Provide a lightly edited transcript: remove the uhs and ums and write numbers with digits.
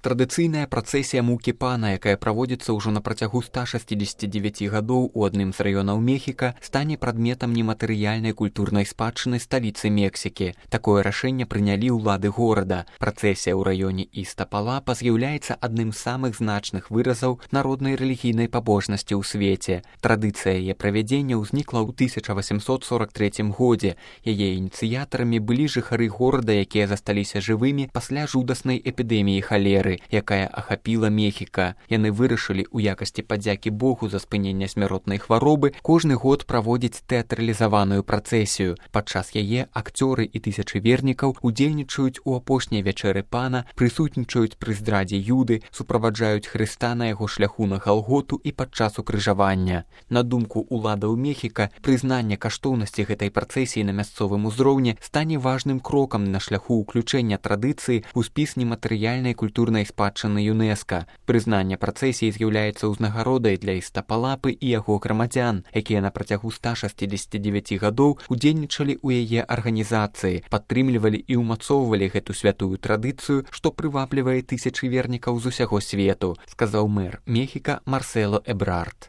Традыцыйная працэсія мукі пана, якая праводзіцца ўжо на працягу 169 гадоў у адным з раёнаў Мехіка, стане прадметам нематэрыяльнай культурнай спадчыны сталіцы Мексікі. Такое рашэнне прынялі ўлады горада. Працэсія ў раёне Істапалапа з'яўляецца адным з самых значных выразаў народнай рэлігійнай пабожнасці ў свеце. Традыцыя яе правядзення ўзнікла ў 1843 годзе. Яе ініцыятарамі былі жыхары горада, якія засталіся жывымі пасля жудаснай эпідэміі халеры, якая ахапіла Мехіка. Яны вырашылі ў якасці падзякі Богу за спыненне смяротнай хваробы кожны год праводзіць тэатралізаваную працэсію. Падчас яе акцёры і тысячы вернікаў удзельнічаюць у апошняй вячэры пана, прысутнічаюць пры здрадзе Юды, суправаджаюць Хрыста на яго шляху на Галготу і падчас укрыжавання. На думку уладаў Мехіка, прызнанне каштоўнасці гэтай працэсіі на мясцовым узроўні стане важным крокам на шляху ўключэння традыцыі ў спіс нематэрыяльнай культурнай спадчыны ЮНЕСКА. Прызнанне працэсіі з'яўляецца ўзнагародай для Істапалапы і яго грамадзян, якія на працягу 169 гадоў удзельнічалі ў яе арганізацыі, падтрымлівалі і ўмацоўвалі гэту святую традыцыю, што прываблівае тысячы вернікаў з усяго свету, сказаў мэр Мехіка Марсело Эбрард.